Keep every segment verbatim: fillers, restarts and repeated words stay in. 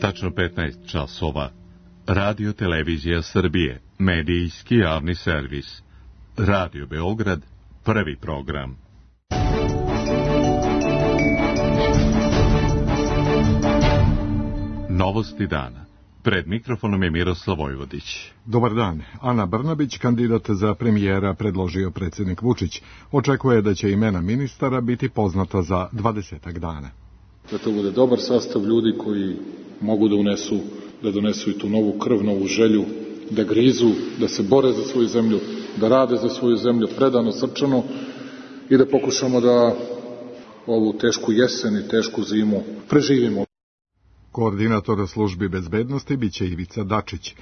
Tačno petnaest časova. Radio Televizija Srbije, medijski javni servis. Radio Beograd, prvi program. Novosti dana. Pred mikrofonom je Miroslav Vojvodić. Dobar dan. Ana Brnabić, kandidat za premijera, predložio predsjednik Vučić. Očekuje da će imena ministara biti poznata za dvadesetak dana. Da to bude dobar sastav ljudi koji mogu da unesu, da donesu i tu novu krv, novu želju, da grizu, da se bore za svoju zemlju, da rade za svoju zemlju predano, srčano i da pokušamo da ovu tešku jesen i tešku zimu preživimo. Koordinator službi bezbednosti biće Ivica Dačić.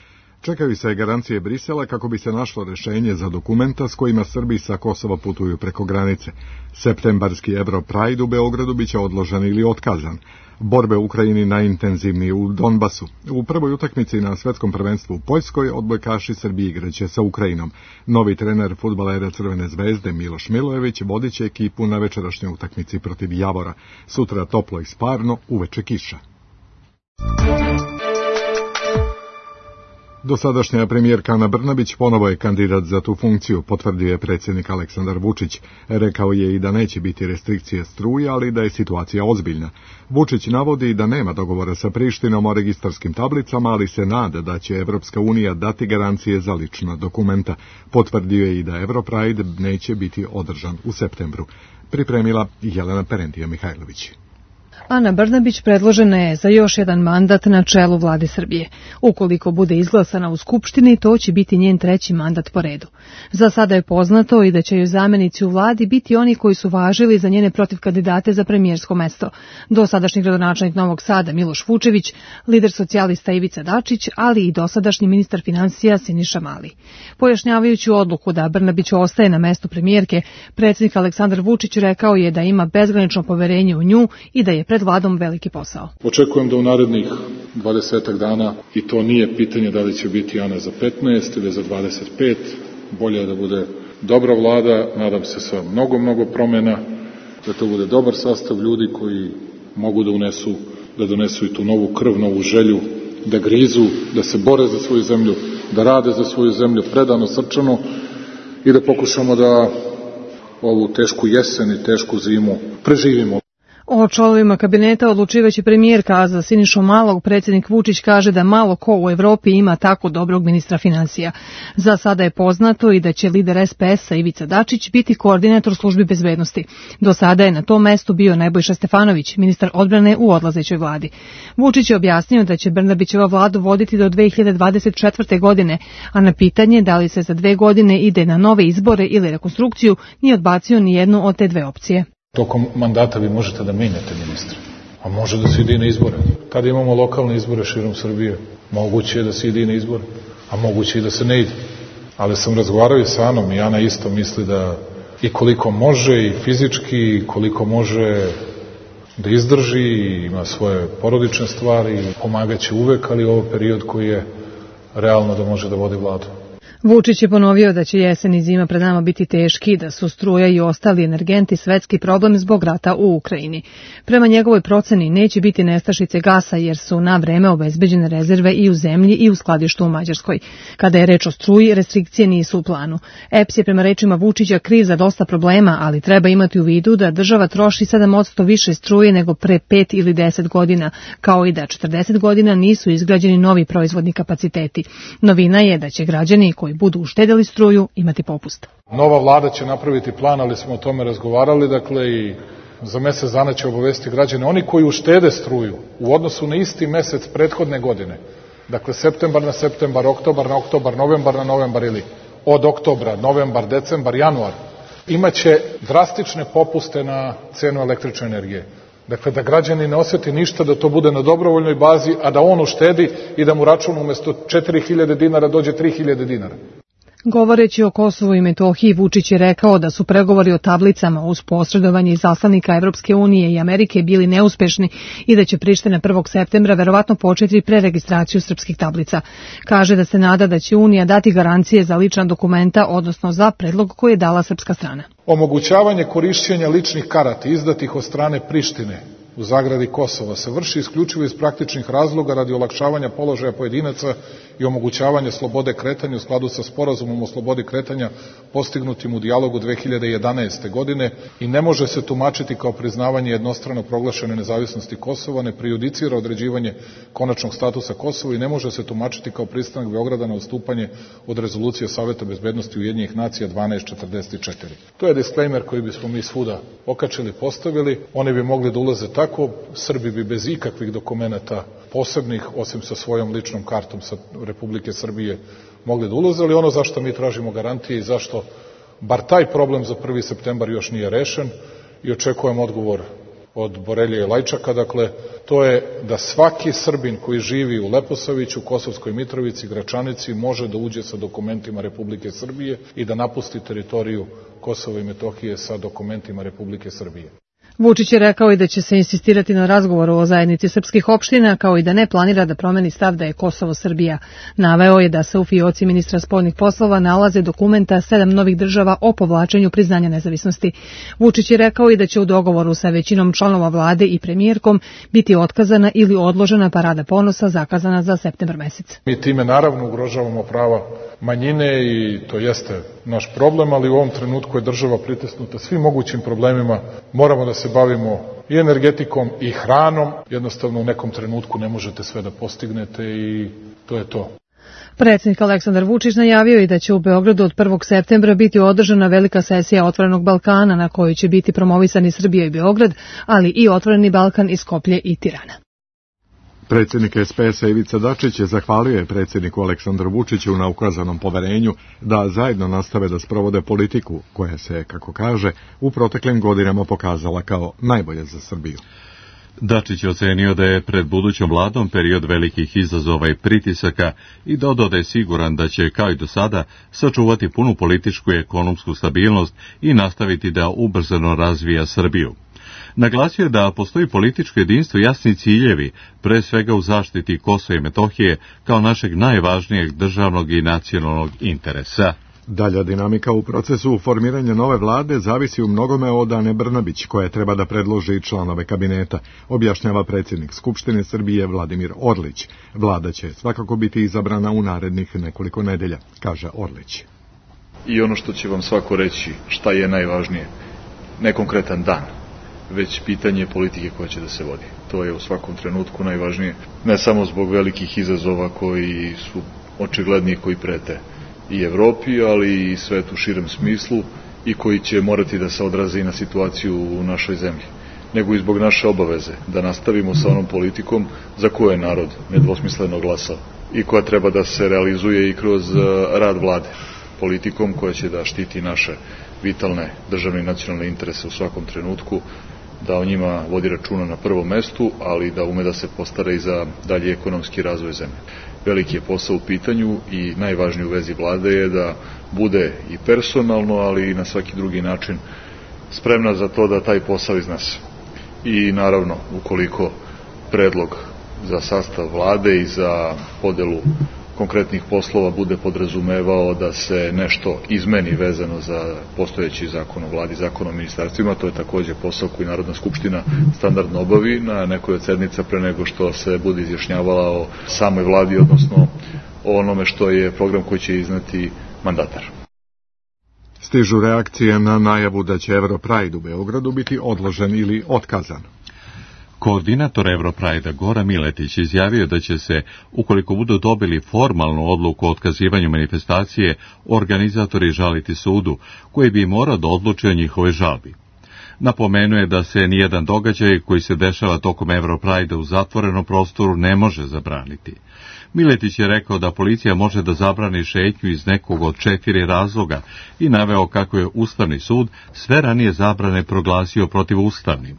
Čekaju se garancije Brisela kako bi se našlo rešenje za dokumenta s kojima Srbi sa Kosova putuju preko granice. Septembarski Europride u Beogradu biće odložen ili otkazan. Borbe u Ukrajini najintenzivnije u Donbasu. U prvoj utakmici na svetskom prvenstvu u Poljskoj odbojkaši Srbije igraće sa Ukrajinom. Novi trener fudbalera Crvene zvezde Miloš Milojević vodit će ekipu na večerašnjoj utakmici protiv Javora. Sutra toplo i sparno, uveče kiša. Dosadašnja premijerka Ana Brnabić ponovo je kandidat za tu funkciju, potvrdio je predsjednik Aleksandar Vučić. Rekao je i da neće biti restrikcije struje, ali da je situacija ozbiljna. Vučić navodi da nema dogovora sa Prištinom o registarskim tablicama, ali se nada da će Evropska unija dati garancije za lična dokumenta. Potvrdio je i da Europride neće biti održan u septembru. Pripremila Jelena Perentija Mihajlović. Ana Brnabić predložena je za još jedan mandat na čelu vlade Srbije. Ukoliko bude izglasana u Skupštini, to će biti njen treći mandat po redu. Za sada je poznato i da će joj zamenici u vladi biti oni koji su važili za njene protivkandidate za premijersko mesto. Dosadašnji gradonačelnik Novog Sada Miloš Vučević, lider socijalista Ivica Dačić, ali i dosadašnji ministar finansija Siniša Mali. Pojašnjavajući odluku da Brnabić ostaje na mestu premijerke, predsjednik Aleksandar Vučić rekao je da ima bezgranično poverenje u nju i da je pred vladom veliki posao. Očekujem da u narednih dvadesetak dana, i to nije pitanje da li će biti Ana za petnaest ili za dvadeset pet, bolje je da bude dobra vlada, nadam se sa mnogo, mnogo promjena, da to bude dobar sastav ljudi koji mogu da unesu, da donesu i tu novu krv, novu želju, da grizu, da se bore za svoju zemlju, da rade za svoju zemlju predano, srčano i da pokušamo da ovu tešku jesen i tešku zimu preživimo. O članovima kabineta odlučivaće premijerka, a za Sinišu Malog predsjednik Vučić kaže da malo ko u Evropi ima tako dobrog ministra finansija. Za sada je poznato i da će lider es pe es-a Ivica Dačić biti koordinator službi bezbednosti. Do sada je na tom mestu bio Nebojša Stefanović, ministar odbrane u odlazećoj vladi. Vučić je objasnio da će Brnabićeva vladu voditi do dve hiljade dvadeset četvrte. godine, a na pitanje da li se za dve godine ide na nove izbore ili rekonstrukciju nije odbacio ni jednu od te dve opcije. Tokom mandata vi možete da menjate ministre, a može da se ide na izbore. Kada imamo lokalne izbore širom Srbije, moguće je da se ide na izbore, a moguće i da se ne ide. Ali sam razgovarao i sa Anom i Ana isto misli da i koliko može i fizički, i koliko može da izdrži, i ima svoje porodične stvari, pomagaće uvek, ali ovo period koji je realno da može da vodi vladu. Vučić je ponovio da će jesen i zima pred nama biti teški, da su struja i ostali energenti svetski problem zbog rata u Ukrajini. Prema njegovoj proceni neće biti nestašice gasa jer su na vreme obezbeđene rezerve i u zemlji i u skladištu u Mađarskoj. Kada je reč o struji, restrikcije nisu u planu. e pe es je prema rečima Vučića kriv za dosta problema, ali treba imati u vidu da država troši sedam posto više struje nego pre pet ili deset godina, kao i da četrdeset godina nisu izgrađeni novi proizvodni kapaciteti. Novina je da će građani koji budu uštedjeli struju imati popust. Nova vlada će napraviti plan, ali smo o tome razgovarali, dakle i za mesec dana će obavestiti građane. Oni koji uštede struju u odnosu na isti mesec prethodne godine, dakle septembar na septembar, oktobar na oktobar, novembar na novembar ili od oktobra, novembar, decembar, januar, imaće drastične popuste na cenu električne energije. Dakle, da građani ne osjeti ništa, da to bude na dobrovoljnoj bazi, a da on uštedi i da mu račun umjesto četiri hiljade dinara dođe tri hiljade dinara. Govoreći o Kosovu i Metohiji, Vučić je rekao da su pregovori o tablicama uz posredovanje izaslanika Evropske unije i Amerike bili neuspešni i da će Priština prvog septembra verovatno početi preregistraciju srpskih tablica. Kaže da se nada da će Unija dati garancije za lična dokumenta, odnosno za predlog koji je dala srpska strana. Omogućavanje korišćenja ličnih karata izdatih od strane Prištine u zagradi Kosova se vrši isključivo iz praktičnih razloga radi olakšavanja položaja pojedinaca i omogućavanja slobode kretanja u skladu sa sporazumom o slobodi kretanja postignutim u dijalogu dve hiljade jedanaeste. godine i ne može se tumačiti kao priznavanje jednostrano proglašene nezavisnosti Kosova, ne prejudicira određivanje konačnog statusa Kosova i ne može se tumačiti kao pristanak Beograda na odstupanje od rezolucije Saveta bezbednosti Ujedinjenih nacija dvanaest četrdeset četiri. To je disklejmer koji bismo mi svuda okačili, postavili. Oni bi mogli da ulaze tako, Srbi bi bez ikakvih dokumenata posebnih, osim sa svojom ličnom kartom sa Republike Srbije, mogli da ulaze, ali ono zašto mi tražimo garantije i zašto bar taj problem za prvi septembar još nije rešen i očekujem odgovor od Borelije i Lajčaka, dakle, to je da svaki Srbin koji živi u Leposaviću, Kosovskoj Mitrovici, Gračanici može da uđe sa dokumentima Republike Srbije i da napusti teritoriju Kosova i Metohije sa dokumentima Republike Srbije. Vučić je rekao i da će se insistirati na razgovoru o zajednici srpskih opština, kao i da ne planira da promeni stav da je Kosovo Srbija. Naveo je da se u fioci ministra spoljnih poslova nalaze dokumenta sedam novih država o povlačenju priznanja nezavisnosti. Vučić je rekao i da će u dogovoru sa većinom članova vlade i premijerkom biti otkazana ili odložena parada ponosa zakazana za septembar mesec. Mi time naravno ugrožavamo prava manjine i to jeste naš problem, ali u ovom trenutku je država pritisnuta svim mogućim problemima. Moramo da se bavimo i energetikom i hranom. Jednostavno u nekom trenutku ne možete sve da postignete i to je to. Predsjednik Aleksandar Vučić najavio je da će u Beogradu od prvog septembra biti održana velika sesija Otvorenog Balkana na kojoj će biti promovisani Srbija i Beograd, ali i Otvoreni Balkan iz Skoplje i Tirana. Predsjednik es pe es-a Ivica Dačić je zahvalio predsjedniku Aleksandru Vučiću na ukazanom poverenju da zajedno nastave da sprovode politiku koja se, kako kaže, u proteklim godinama pokazala kao najbolje za Srbiju. Dačić je ocenio da je pred budućom vladom period velikih izazova i pritisaka i dodao da je siguran da će, kao i do sada, sačuvati punu političku i ekonomsku stabilnost i nastaviti da ubrzano razvija Srbiju. Naglasio je da postoji političko jedinstvo i jasni ciljevi, pre svega u zaštiti Kosova i Metohije kao našeg najvažnijeg državnog i nacionalnog interesa. Dalja dinamika u procesu formiranja nove vlade zavisi u mnogome od Ane Brnabić, koja treba da predloži članove kabineta, objašnjava predsjednik Skupštine Srbije Vladimir Orlić. Vlada će svakako biti izabrana u narednih nekoliko nedelja, kaže Orlić. I ono što će vam svako reći šta je najvažnije, ne konkretan dan, već pitanje politike koja će da se vodi. To je u svakom trenutku najvažnije, ne samo zbog velikih izazova koji su očigledni, koji prete i Evropi, ali i svetu u širem smislu i koji će morati da se odraze i na situaciju u našoj zemlji, nego i zbog naše obaveze da nastavimo sa onom politikom za koju je narod nedvosmisleno glasao i koja treba da se realizuje i kroz rad vlade. Politikom koja će da štiti naše vitalne državne i nacionalne interese u svakom trenutku, da o njima vodi računa na prvom mestu, ali da ume da se postara i za dalji ekonomski razvoj zemlje. Veliki je posao u pitanju i najvažniji u vezi vlade je da bude i personalno, ali i na svaki drugi način spremna za to da taj posao iznese. I naravno, ukoliko predlog za sastav vlade i za podelu konkretnih poslova bude podrazumevao da se nešto izmeni vezano za postojeći zakon o vladi, zakon o ministarstvima, to je takođe posao koji Narodna skupština standardno obavi na nekoj od sednica pre nego što se bude izjašnjavala o samoj vladi, odnosno o onome što je program koji će izneti mandatar. Stižu reakcije na najavu da će Europride u Beogradu biti odložen ili otkazan. Koordinator Europride-a Gora Miletić izjavio da će se, ukoliko budu dobili formalnu odluku o otkazivanju manifestacije, organizatori žaliti sudu, koji bi morao da odluči o njihovoj žalbi. Napomenuje da se nijedan događaj koji se dešava tokom Europride-a u zatvorenom prostoru ne može zabraniti. Miletić je rekao da policija može da zabrani šetnju iz nekog od četiri razloga i naveo kako je Ustavni sud sve ranije zabrane proglasio protivustavnim.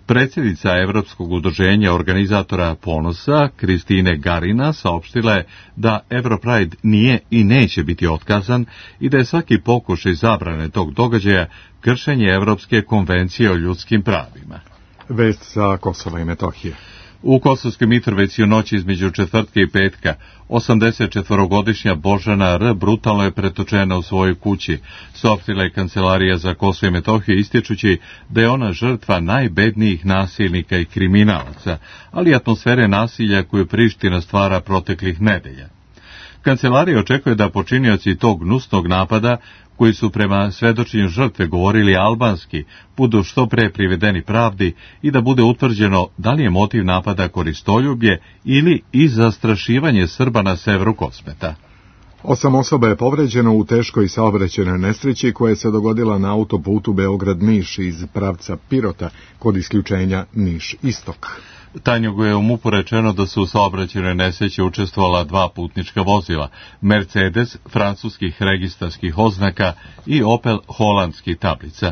Predsjednica Evropskog udruženja organizatora Ponosa, Kristine Garina, saopštila je da Europride nije i neće biti otkazan i da je svaki pokušaj zabrane tog događaja kršenje Evropske konvencije o ljudskim pravima. Vest sa Kosova i Metohije. U Kosovskoj Mitrovici u noći između četvrtka i petka osamdeset četvorogodišnja Božana R. brutalno je pretočena u svojoj kući, saopštila je Kancelarija za Kosovo i Metohiju, ističući da je ona žrtva najbednijih nasilnika i kriminalaca, ali i atmosfere nasilja koju Priština stvara proteklih nedelja. Kancelarija očekuje da počinioci tog gnusnog napada, koji su prema svedočenju žrtve govorili albanski, budu što pre privedeni pravdi i da bude utvrđeno da li je motiv napada koristoljublje ili i zastrašivanje Srba na severu Kosmeta. Osam osoba je povređeno u teškoj saobraćajnoj nesreći koja se dogodila na autoputu Beograd-Niš iz pravca Pirota kod isključenja Niš-Istok. Tanjugu je u MUP-u rečeno da su u saobraćajnoj nesreći učestvovala dva putnička vozila, Mercedes francuskih registarskih oznaka i Opel holandskih tablica.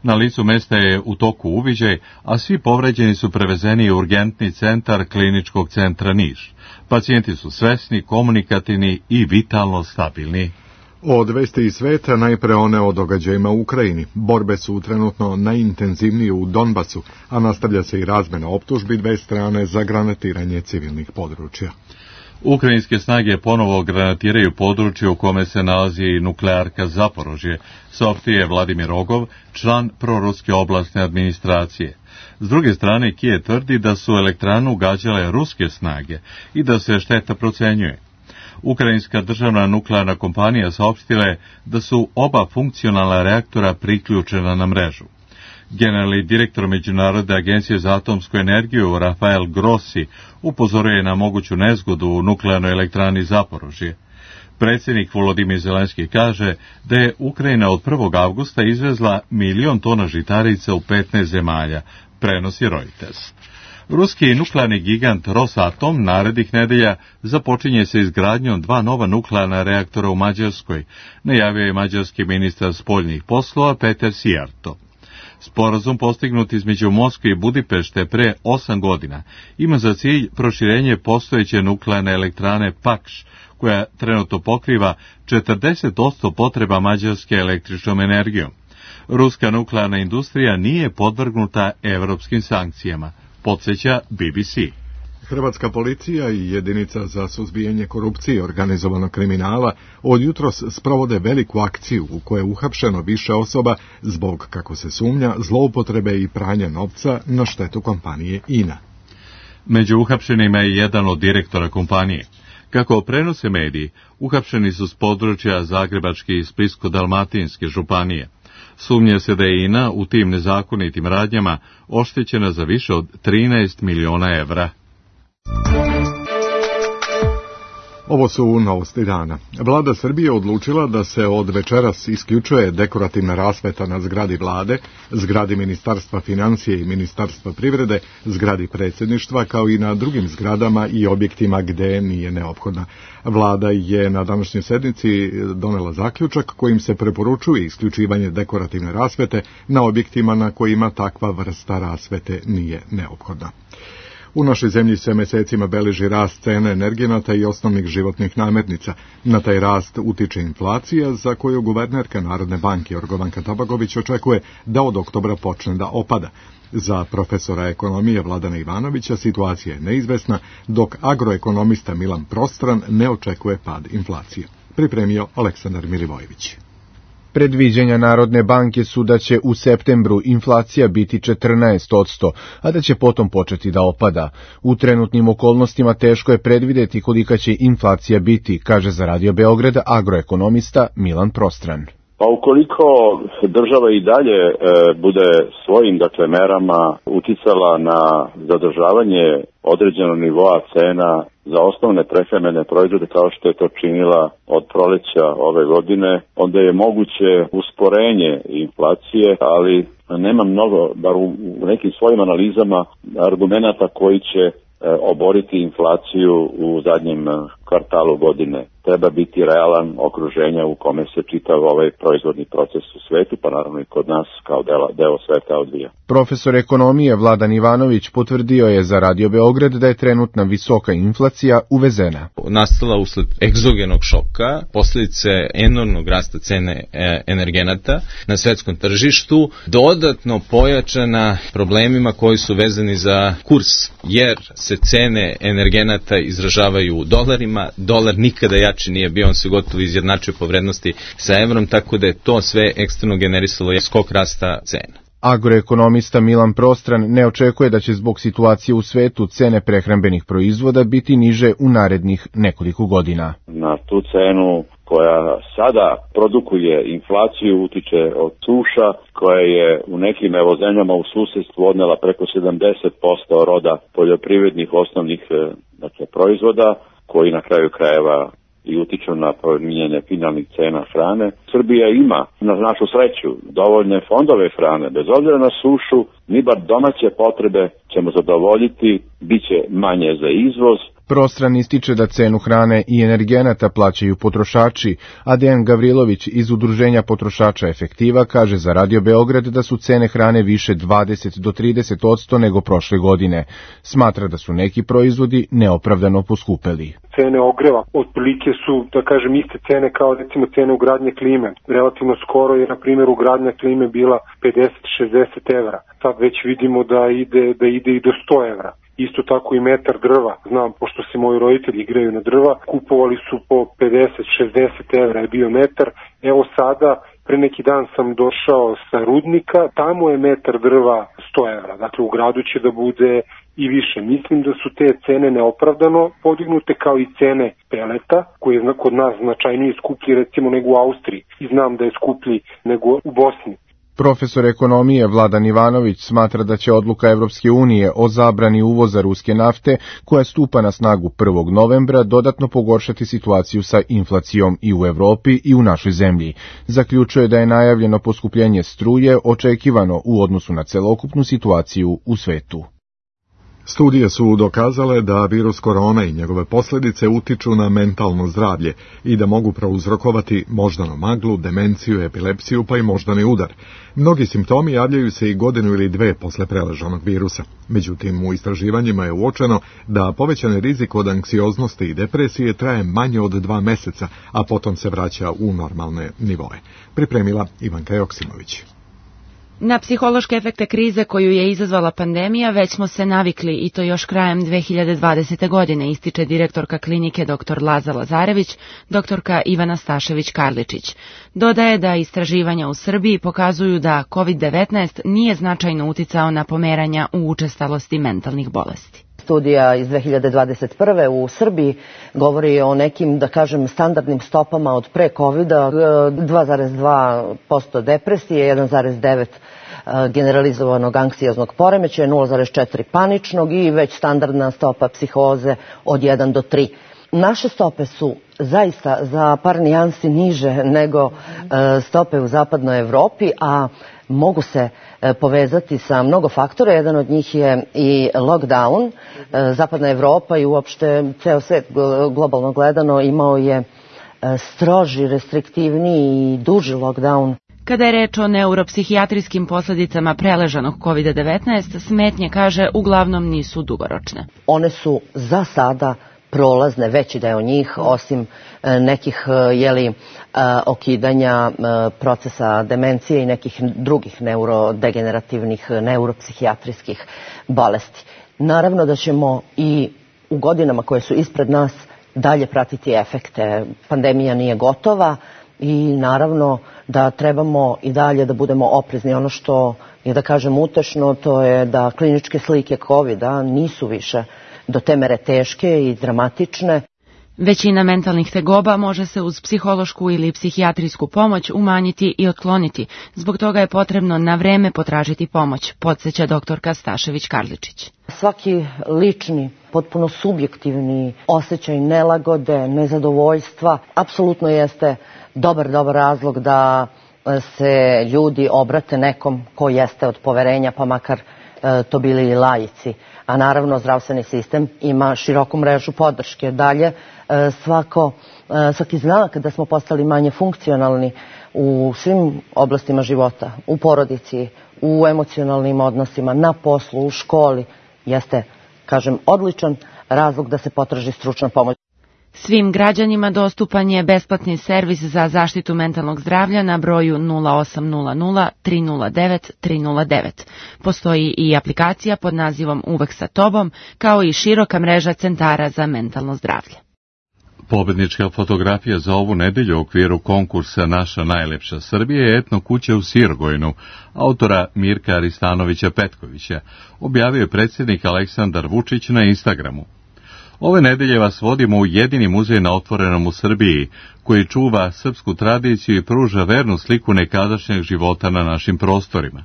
Na licu mesta je u toku uviđaj, a svi povređeni su prevezeni u urgentni centar Kliničkog centra Niš. Pacijenti su svesni, komunikativni i vitalno stabilni. Od vesti iz sveta, najpre one o događajima u Ukrajini. Borbe su trenutno najintenzivnije u Donbasu, a nastavlja se i razmena optužbi dve strane za granatiranje civilnih područja. Ukrajinske snage ponovo granatiraju područje u kome se nalazi i nuklearka Zaporožje, saopštio je Vladimir Rogov, član proruske oblastne administracije. S druge strane, Kijev tvrdi da su elektranu gađale ruske snage i da se šteta procenjuje. Ukrajinska državna nuklearna kompanija saopštila je da su oba funkcionalna reaktora priključena na mrežu. Generalni direktor Međunarodne agencije za atomsku energiju Rafael Grossi upozoruje na moguću nezgodu u nuklearnoj elektrani Zaporožje. Predsjednik Volodimir Zelenski kaže da je Ukrajina od prvog avgusta izvezla milion tona žitarica u petnaest zemalja, prenosi Reuters. Ruski nuklearni gigant Rosatom narednih nedelja započinje se izgradnjom dva nova nuklearna reaktora u Mađarskoj, najavio je mađarski ministar spoljnih poslova Peter Sijarto. Sporazum postignut između Moskve i Budimpešte pre osam godina ima za cilj proširenje postojeće nuklearne elektrane Pakš, koja trenutno pokriva četrdeset posto potreba Mađarske električnom energijom. Ruska nuklearna industrija nije podvrgnuta evropskim sankcijama, podsjeća B B C. Hrvatska policija i jedinica za suzbijanje korupcije i organizovanog kriminala od jutros sprovode veliku akciju u kojoj je uhapšeno više osoba zbog, kako se sumnja, zloupotrebe i pranja novca na štetu kompanije I N A. Među uhapšenima je jedan od direktora kompanije. Kako prenose mediji, uhapšeni su s područja Zagrebačke i Splitsko-dalmatinske županije. Sumnja se da je I N A u tim nezakonitim radnjama oštećena za više od trinaest miliona evra. Ovo su novosti dana. Vlada Srbije odlučila da se od večeras isključuje dekorativna rasveta na zgradi vlade, zgradi Ministarstva financije i Ministarstva privrede, zgradi predsjedništva, kao i na drugim zgradama i objektima gde nije neophodna. Vlada je na današnjoj sednici donela zaključak kojim se preporučuje isključivanje dekorativne rasvete na objektima na kojima takva vrsta rasvete nije neophodna. U našoj zemlji se mesecima beleži rast cene energenata i osnovnih životnih namirnica. Na taj rast utiče inflacija, za koju guvernerka Narodne banke Jorgovanka Tabaković očekuje da od oktobra počne da opada. Za profesora ekonomije Vladana Ivanovića situacija je neizvesna, dok agroekonomista Milan Prostran ne očekuje pad inflacije. Pripremio Aleksandar Milivojević. Predviđanja Narodne banke su da će u septembru inflacija biti četrnaest posto, a da će potom početi da opada. U trenutnim okolnostima teško je predvideti kolika će inflacija biti, kaže za Radio Beograd agroekonomista Milan Prostran. Pa ukoliko država i dalje e, bude svojim dakle merama uticala na zadržavanje određenog nivoa cena za osnovne prehrambene proizvode kao što je to činila od proleća ove godine, onda je moguće usporenje inflacije, ali nema mnogo, bar u, u nekim svojim analizama, argumenata koji će e, oboriti inflaciju u zadnjem kvartalu godine. treba biti realan okruženja u kome se čitav ovaj proizvodni proces u svetu, pa naravno i kod nas kao deo, deo sveta odvija. Profesor ekonomije Vladan Ivanović potvrdio je za Radio Beograd da je trenutna visoka inflacija uvezena. Nastala usled egzogenog šoka, posljedice enormnog rasta cene energenata na svetskom tržištu, dodatno pojačana problemima koji su vezani za kurs, jer se cene energenata izražavaju u dolarima, dolar nikada jači nije bio, on se gotovo izjednačio po vrednosti sa evrom, tako da je to sve eksterno generisalo skok rasta cena. Agroekonomista Milan Prostran ne očekuje da će zbog situacije u svetu cene prehrambenih proizvoda biti niže u narednih nekoliko godina. Na tu cenu koja sada produkuje inflaciju utiče od suša, koja je u nekim evo zemljama u susedstvu odnela preko sedamdeset posto roda poljoprivrednih osnovnih dakle, proizvoda, koji na kraju krajeva i utiču na promijenjanje finalnih cena hrane. Srbija ima, na našu sreću, dovoljne fondove hrane. Bez obzira na sušu, mi bar domaće potrebe ćemo zadovoljiti, bit će manje za izvoz. Prostran ističe da cenu hrane i energenata plaćaju potrošači, a Dejan Gavrilović iz Udruženja potrošača Efektiva kaže za Radio Beograd da su cene hrane više dvadeset do trideset posto nego prošle godine. Smatra da su neki proizvodi neopravdano poskupeli. Cene ogreva otprilike su, da kažem, iste cene kao recimo cene ugradnje klime. Relativno skoro je, na primjer, ugradnja klime bila pedeset do šezdeset evra. Sad već vidimo da ide, da ide i do sto evra. Isto tako i metar drva. Znam, pošto se moji roditelji igraju na drva, kupovali su po pedeset do šezdeset evra je bio metar. Evo sada, pre neki dan sam došao sa rudnika, tamo je metar drva sto evra. Dakle, u gradu će da bude i više. Mislim da su te cene neopravdano podignute, kao i cene peleta, koji je kod nas značajnije skuplji recimo nego u Austriji. I znam da je skuplji nego u Bosni. Profesor ekonomije Vladan Ivanović smatra da će odluka Evropske unije o zabrani uvoza ruske nafte, koja stupa na snagu prvog novembra, dodatno pogoršati situaciju sa inflacijom i u Evropi i u našoj zemlji. Zaključuje da je najavljeno poskupljenje struje očekivano u odnosu na celokupnu situaciju u svetu. Studije su dokazale da virus korona i njegove posljedice utiču na mentalno zdravlje i da mogu prouzrokovati moždanu maglu, demenciju, epilepsiju pa i moždani udar. Mnogi simptomi javljaju se i godinu ili dve posle preležanog virusa. Međutim, u istraživanjima je uočeno da povećani rizik od anksioznosti i depresije traje manje od dva meseca, a potom se vraća u normalne nivoe. Pripremila Ivanka Joksimović. Na psihološke efekte krize koju je izazvala pandemija već smo se navikli i to još krajem dve hiljade dvadesete. godine, ističe direktorka klinike dr Laza Lazarević, doktorka Ivana Stašević-Karličić. Dodaje da istraživanja u Srbiji pokazuju da kovid devetnaest nije značajno uticao na pomeranja u učestalosti mentalnih bolesti. Studija iz dve hiljade dvadeset prve. u Srbiji govori o nekim, da kažem, standardnim stopama od pre kovida, dva zarez dva posto depresije, jedan zarez devet posto generalizovanog anksioznog poremećaja, nula zarez četiri posto paničnog i već standardna stopa psihoze od jedan do tri. Naše stope su zaista za par nijansi niže nego stope u zapadnoj Evropi, a mogu se povezati sa mnogo faktora. Jedan od njih je i lockdown. Zapadna Evropa i uopšte ceo svet globalno gledano imao je stroži, restriktivniji i duži lockdown. Kada je reč o neuropsihijatrijskim posljedicama preležanog kovid devetnaest, smetnje, kaže, uglavnom nisu dugoročne. One su za sada prolazne, veći deo njih, osim nekih jeli, okidanja procesa demencije i nekih drugih neurodegenerativnih, neuropsihijatrijskih bolesti. Naravno da ćemo i u godinama koje su ispred nas dalje pratiti efekte. Pandemija nije gotova i naravno da trebamo i dalje da budemo oprezni. Ono što je, da kažem, utešno, to je da kliničke slike kovida nisu više do te mere teške i dramatične. Većina mentalnih tegoba može se uz psihološku ili psihijatrijsku pomoć umanjiti i otkloniti. Zbog toga je potrebno na vreme potražiti pomoć, podsjeća doktorka Stašević-Karličić. Svaki lični, potpuno subjektivni osjećaj nelagode, nezadovoljstva, apsolutno jeste dobar, dobar razlog da se ljudi obrate nekom ko jeste od poverenja, pa makar to bili i laici. A naravno zdravstveni sistem ima široku mrežu podrške. Dalje, svako, svaki znak da smo postali manje funkcionalni u svim oblastima života, u porodici, u emocionalnim odnosima, na poslu, u školi, jeste, kažem, odličan razlog da se potraži stručna pomoć. Svim građanima dostupan je besplatni servis za zaštitu mentalnog zdravlja na broju nula osam nula nula tri nula devet tri nula devet. Postoji i aplikacija pod nazivom Uvek sa tobom, kao i široka mreža centara za mentalno zdravlje. Pobednička fotografija za ovu nedelju u okviru konkursa Naša najlepša Srbija je etno kuća u Sirgojnu, autora Mirka Aristanovića-Petkovića, objavio je predsjednik Aleksandar Vučić na Instagramu. Ove nedelje vas vodimo u jedini muzej na otvorenom u Srbiji, koji čuva srpsku tradiciju i pruža vernu sliku nekadašnjeg života na našim prostorima.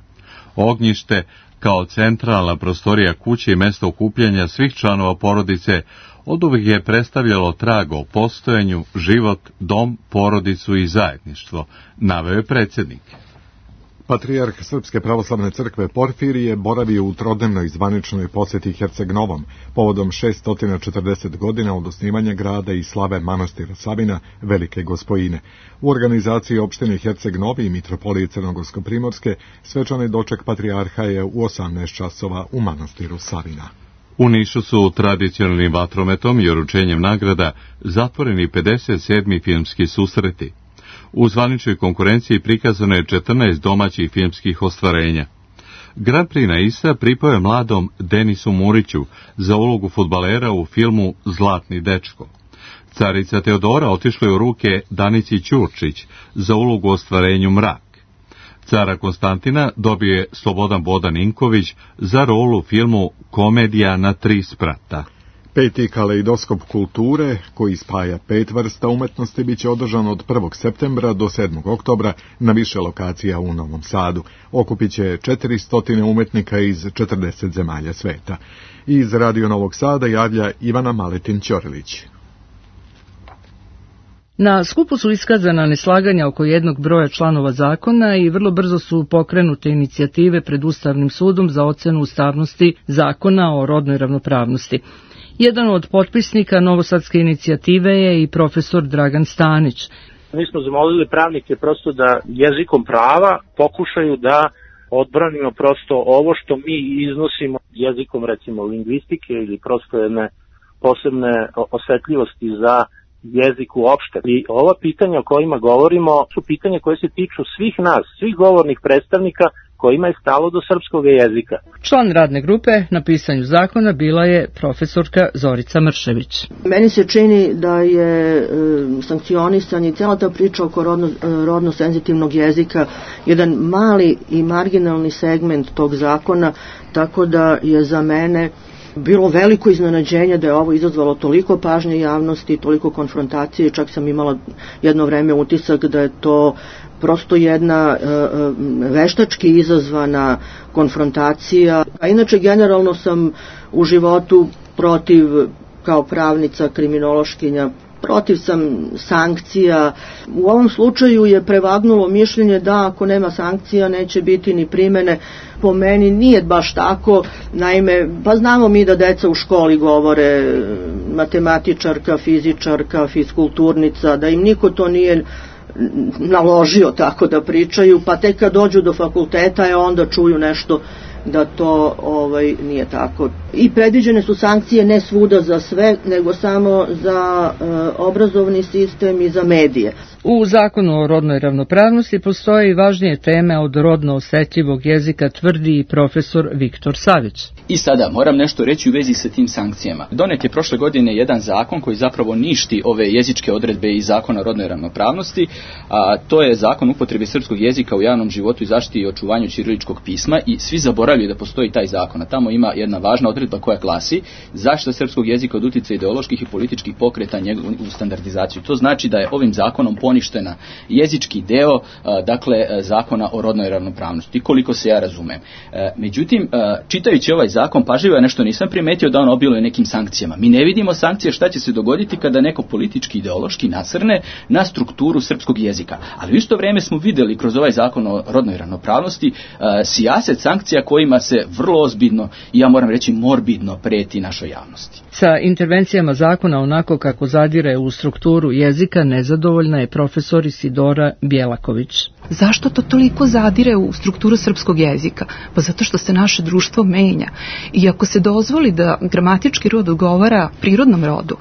Ognjište, kao centralna prostorija kuće i mesto okupljanja svih članova porodice, oduvijek je predstavljalo trag o postojanju, život, dom, porodicu i zajedništvo, naveo je predsjednik. Patrijarh Srpske pravoslavne crkve Porfirije boravio u trodnevnoj zvaničnoj posjeti Herceg-Novom povodom šessto četrdeset godina od osnivanja grada i slave manastira Savina, Velike Gospojine. U organizaciji opštine Herceg-Novi i mitropolije Crnogorsko-Primorske svečani doček patrijarha je u osamnaest časova u manastiru Savina. U Nišu su tradicionalnim vatrometom i uručenjem nagrada zatvoreni pedeset sedmi filmski susreti. U zvaničnoj konkurenciji prikazano je četrnaest domaćih filmskih ostvarenja. Grand Prix na Isa pripao je mladom Denisu Muriću za ulogu fudbalera u filmu Zlatni dečko. Carica Teodora otišla je u ruke Danici Ćurčić za ulogu u ostvarenju Mrak. Cara Konstantina dobio je Slobodan Bodan Inković za rolu u filmu Komedija na tri sprata. Peti kaleidoskop kulture, koji spaja pet vrsta umetnosti, bit će održan od prvog septembra do sedmog oktobra na više lokacija u Novom Sadu. Okupit će četiristo umetnika iz četrdeset zemalja sveta. Iz Radio Novog Sada javlja Ivana Maletin-Ćorilić. Na skupu su iskazana neslaganja oko jednog broja članova zakona i vrlo brzo su pokrenute inicijative pred Ustavnim sudom za ocenu ustavnosti zakona o rodnoj ravnopravnosti. Jedan od potpisnika novosadske inicijative je i profesor Dragan Stanić. Mi smo zamolili pravnike prosto da jezikom prava pokušaju da odbranimo prosto ovo što mi iznosimo jezikom recimo lingvistike ili prosto jedne posebne osetljivosti za jezik uopšte. I ova pitanja o kojima govorimo su pitanja koje se tiču svih nas, svih govornih predstavnika kojima je stalo do srpskog jezika. Član radne grupe na pisanju zakona bila je profesorka Zorica Mršević. Meni se čini da je e, sankcionisan i cijela ta priča oko rodno, rodno senzitivnog jezika jedan mali i marginalni segment tog zakona, tako da je za mene bilo veliko iznenađenje da je ovo izazvalo toliko pažnje javnosti, toliko konfrontacije, čak sam imala jedno vreme utisak da je to prosto jedna e, veštački izazvana konfrontacija. A inače generalno sam u životu protiv, kao pravnica, kriminološkinja, protiv sam sankcija. U ovom slučaju je prevagnulo mišljenje da ako nema sankcija neće biti ni primene. Po meni nije baš tako, naime, pa znamo mi da deca u školi govore matematičarka, fizičarka, fiskulturnica, da im niko to nije naložio tako da pričaju, pa tek kad dođu do fakulteta je onda čuju nešto da to ovaj nije tako. I predviđene su sankcije ne svuda za sve, nego samo za e, obrazovni sistem i za medije. U zakonu o rodnoj ravnopravnosti postoje i važnije teme od rodno osetljivog jezika, tvrdi i profesor Viktor Savić. I sada moram nešto reći u vezi sa tim sankcijama. Donet je prošle godine jedan zakon koji zapravo ništi ove jezičke odredbe iz zakona o rodnoj ravnopravnosti, a to je zakon upotrebe srpskog jezika u javnom životu i zaštiti i očuvanju ćiriličkog pisma i svi zaboravljaju da postoji taj zakon. A tamo ima jedna važna odredba odredba koja glasi zaštita srpskog jezika od utjecaja ideoloških i političkih pokreta njegovu standardizaciju. To znači da je ovim zakonom poništena jezički deo, dakle, zakona o rodnoj ravnopravnosti, koliko se ja razumem. Međutim, čitajući ovaj zakon, pažljivo ja nešto nisam primetio da on obiluje nekim sankcijama. Mi ne vidimo sankcije šta će se dogoditi kada neko politički ideološki nasrne na strukturu srpskog jezika. Ali u isto vrijeme smo vidjeli kroz ovaj zakon o rodnoj ravnopravnosti sijaset sankcija kojima se vrlo ozbiljno i ja moram reći morbidno preti našoj javnosti. Sa intervencijama zakona onako kako zadire u strukturu jezika nezadovoljna je profesor Isidora Bjelaković. Zašto to toliko zadire u strukturu srpskog jezika? Pa zato što se naše društvo menja. I ako se dozvoli da gramatički rod odgovara prirodnom rodu,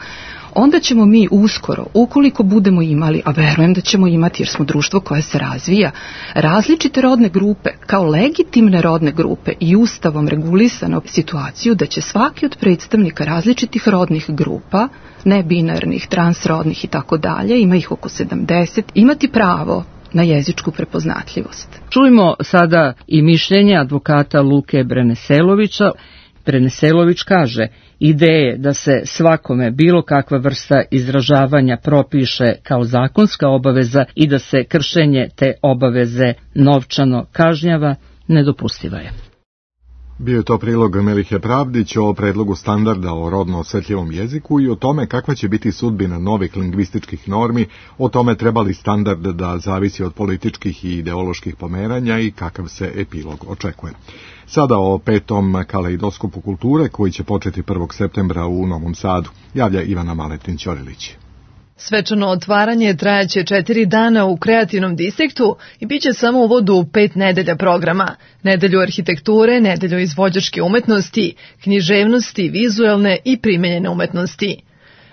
onda ćemo mi uskoro, ukoliko budemo imali, a verujem da ćemo imati jer smo društvo koje se razvija, različite rodne grupe kao legitimne rodne grupe i ustavom regulisano situaciju da će svaki od predstavnika različitih rodnih grupa, nebinarnih, transrodnih i tako dalje, ima ih oko sedamdeset, imati pravo na jezičku prepoznatljivost. Čujmo sada i mišljenje advokata Luke Breneselovića. Breneselović kaže, ideje da se svakome bilo kakva vrsta izražavanja propiše kao zakonska obaveza i da se kršenje te obaveze novčano kažnjava, nedopustiva je. Bio je to prilog Melihe Pravdić o predlogu standarda o rodno osjetljivom jeziku i o tome kakva će biti sudbina novih lingvističkih normi, o tome treba li standard da zavisi od političkih i ideoloških pomeranja i kakav se epilog očekuje. Sada o petom kaleidoskopu kulture koji će početi prvog septembra u Novom Sadu, javlja Ivana Maletin-Ćorilić. Svečano otvaranje trajaće četiri dana u kreativnom distriktu i bit će samo u uvodu u pet nedelja programa. Nedelju arhitekture, nedelju izvođačke umetnosti, književnosti, vizuelne i primenjene umetnosti.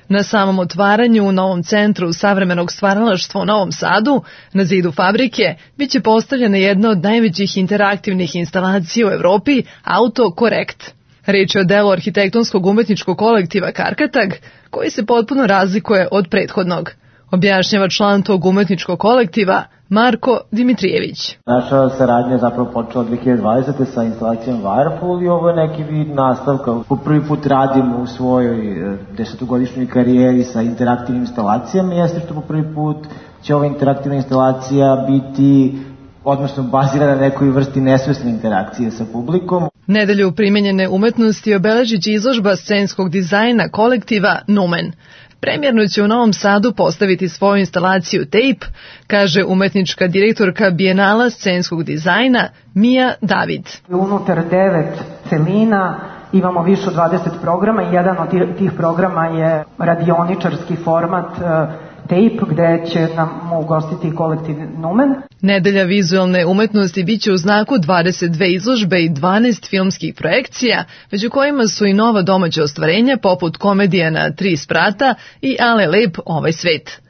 Na samom otvaranju u Novom centru savremenog stvaralaštva u Novom Sadu, na zidu fabrike, bit će postavljena jedna od najvećih interaktivnih instalacija u Evropi, Autokorekt. Riječ je o delu arhitektonskog umetničkog kolektiva Karkatag, koji se potpuno razlikuje od prethodnog. Objašnjava član tog umetničkog kolektiva Marko Dimitrijević. Naša saradnja je zapravo počela dve hiljade dvadesete. sa instalacijom Wirepul i ovo je neki vid nastavka. Po prvi put radimo u svojoj desetogodišnjoj karijeri sa interaktivnim instalacijama. Jeste što po prvi put će ova interaktivna instalacija biti, odnosno bazirana na nekoj vrsti nesvesne interakcije sa publikom. Nedelju primenjene umetnosti obeležit će izložba scenskog dizajna kolektiva Numen. Premjerno će u Novom Sadu postaviti svoju instalaciju Tape, kaže umetnička direktorka Bijenala scenskog dizajna Mija David. Unutar devet celina imamo više od dvadeset programa i jedan od tih programa je radioničarski format Tape, gde će nam ugostiti kolektiv Numen. Nedelja vizualne umetnosti bit će u znaku dvadeset dve izložbe i dvanaest filmskih projekcija, među kojima su i nova domaća ostvarenja poput komedija na tri sprata i Ale lep ovaj svet.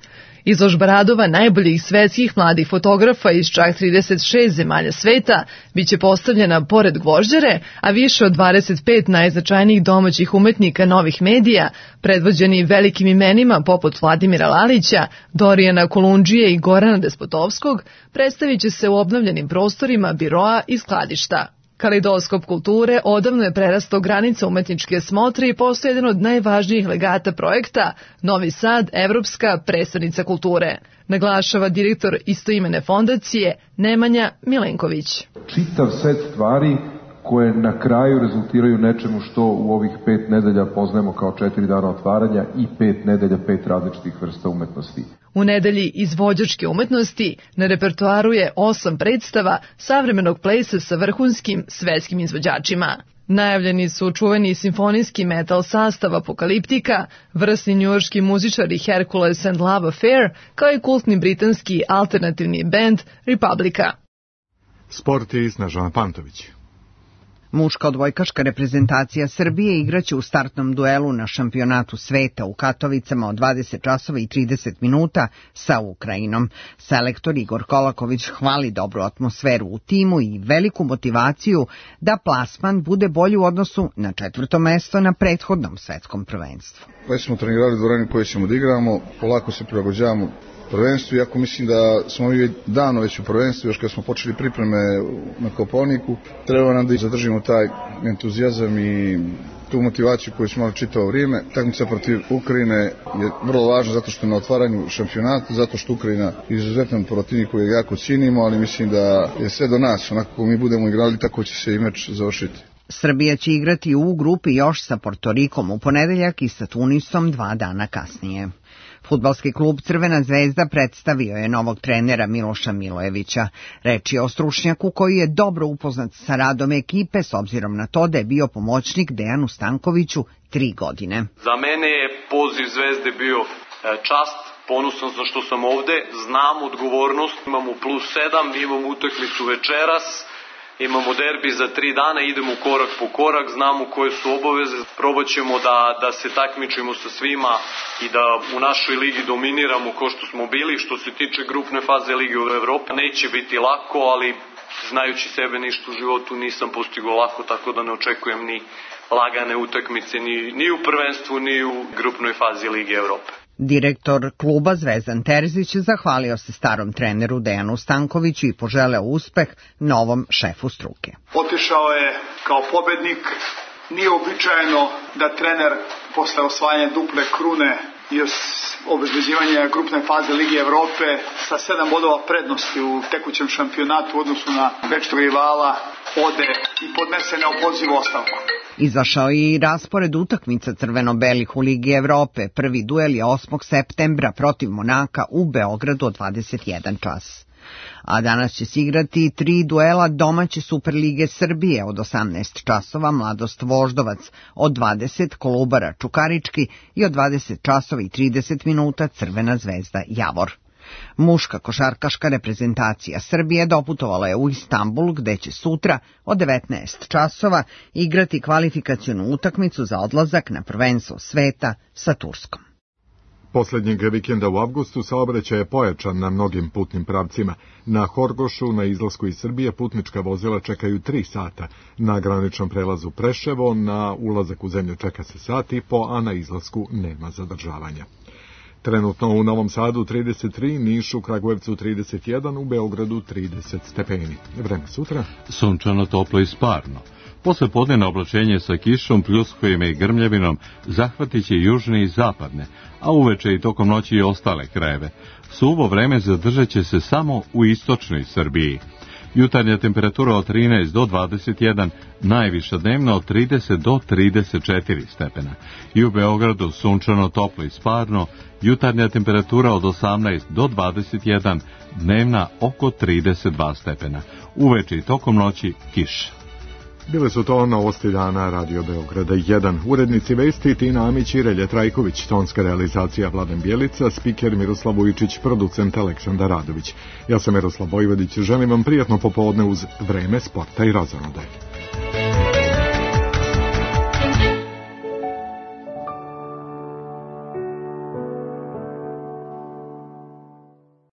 Izložba radova najboljih svetskih mladih fotografa iz čak trideset šest zemalja sveta biće postavljena pored Gvožđare, a više od dvadeset pet najznačajnijih domaćih umetnika novih medija, predvođeni velikim imenima poput Vladimira Lalića, Dorijana Kolundžije i Gorana Despotovskog, predstavit će se u obnovljenim prostorima biroa i skladišta. Kaleidoskop kulture odavno je prerastao granice umetničke smotre i postoji jedan od najvažnijih legata projekta Novi Sad, Evropska prestonica kulture, naglašava direktor istoimene fondacije Nemanja Milenković. Čitav set stvari koje na kraju rezultiraju nečemu što u ovih pet nedelja poznajemo kao četiri dana otvaranja i pet nedelja, pet različitih vrsta umetnosti. U nedelji izvođačke umetnosti na repertoaru je osam predstava savremenog plesa sa vrhunskim svetskim izvođačima. Najavljeni su čuveni simfonijski metal sastav Apokaliptika, vrsni njujorški muzičari Hercules and Love Affair, kao i kultni britanski alternativni band Republika. Sport je Snežana Pantović. Muška odbojkaška reprezentacija Srbije igraće u startnom duelu na šampionatu sveta u Katovicama od dvadeset časova i trideset minuta sa Ukrajinom. Selektor Igor Kolaković hvali dobru atmosferu u timu i veliku motivaciju da plasman bude bolji u odnosu na četvrto mesto na prethodnom svetskom prvenstvu. Već smo trenirali dvoranu koju ćemo da igramo, polako se prilagođavamo prvenstvu, iako mislim da smo mi davno već u prvenstvu, još kad smo počeli pripreme na Kopaoniku, treba nam da zadržimo taj entuzijazam i tu motivaciju koju smo imali čitavo vrijeme. Takmica protiv Ukrajine je vrlo važna zato što je na otvaranju šampionata, zato što Ukrajina je izuzetan protivnik koji jako cijenimo, ali mislim da je sve do nas. Onako kako mi budemo igrali, tako će se i meč završiti. Srbija će igrati u grupi još sa Portorikom u ponedeljak i sa Tunisom dva dana kasnije. Fudbalski klub Crvena zvezda predstavio je novog trenera Miloša Milojevića. Reč je o stručnjaku koji je dobro upoznat sa radom ekipe s obzirom na to da je bio pomoćnik Dejanu Stankoviću tri godine. Za mene je poziv Zvezde bio čast, ponosan sam što sam ovde, znam odgovornost, imamo plus sedam, imamo utakmicu večeras, imamo derbi za tri dana, idemo korak po korak, znamo koje su obaveze, probat ćemo da, da se takmičimo sa svima i da u našoj ligi dominiramo ko što smo bili. Što se tiče grupne faze Lige u Evropi, neće biti lako, ali znajući sebe ništa u životu nisam postigao lako, tako da ne očekujem ni lagane utakmice ni, ni u prvenstvu, ni u grupnoj fazi Lige Evrope. Direktor kluba Zvezdan Terzić zahvalio se starom treneru Dejanu Stankoviću i poželeo uspeh novom šefu struke. Otišao je kao pobednik. Nije običajeno da trener posle osvajanja duple krune i obezbeđivanja grupne faze Lige Evrope sa sedam bodova prednosti u tekućem šampionatu u odnosu na večnog rivala ode i podnese neopozivu ostavku. Izašao je i raspored utakmica crveno-belih u Ligi Evrope. Prvi duel je osmog septembra protiv Monaka u Beogradu od dvadeset jedan čas. A danas će se igrati tri duela domaće Superlige Srbije od osamnaest časova, Mladost Voždovac, od dvadeset Kolubara Čukarički i od dvadeset časova i trideset minuta Crvena zvezda Javor. Muška košarkaška reprezentacija Srbije doputovala je u Istanbul, gde će sutra od devetnaest časova igrati kvalifikacionu utakmicu za odlazak na prvenstvo sveta sa Turskom. Poslednjeg vikenda u avgustu saobraćaj je pojačan na mnogim putnim pravcima. Na Horgošu, na izlasku iz Srbije, putnička vozila čekaju tri sata. Na graničnom prelazu Preševo, na ulazak u zemlju čeka se sat i po, a na izlasku nema zadržavanja. Trenutno u Novom Sadu trideset tri, Nišu, Kragujevcu trideset jedan, u Beogradu trideset stepeni. Vreme sutra? Sunčano, toplo i sparno. Posle podnevno oblačenje sa kišom, pljuskojima i grmljavinom zahvatit će južne i zapadne, a uveče i tokom noći i ostale krajeve. Suvo vreme zadržat će se samo u istočnoj Srbiji. Jutarnja temperatura od trinaest do dvadeset jedan, najviša dnevna od trideset do trideset četiri stepena. I u Beogradu sunčano, toplo i sparno, jutarnja temperatura od osamnaest do dvadeset jedan, dnevna oko trideset dva stepena. Uveče i tokom noći kiša. Bile su to novosti dana Radio Beograda jedan. Urednici vesti Tina Amić i Relje Trajković, tonska realizacija Vladan Bjelica, spiker Miroslav Vujičić, producent Aleksandar Radović. Ja sam Miroslav Vojvodić, želim vam prijatno popodne uz Vreme, sporta i razonode.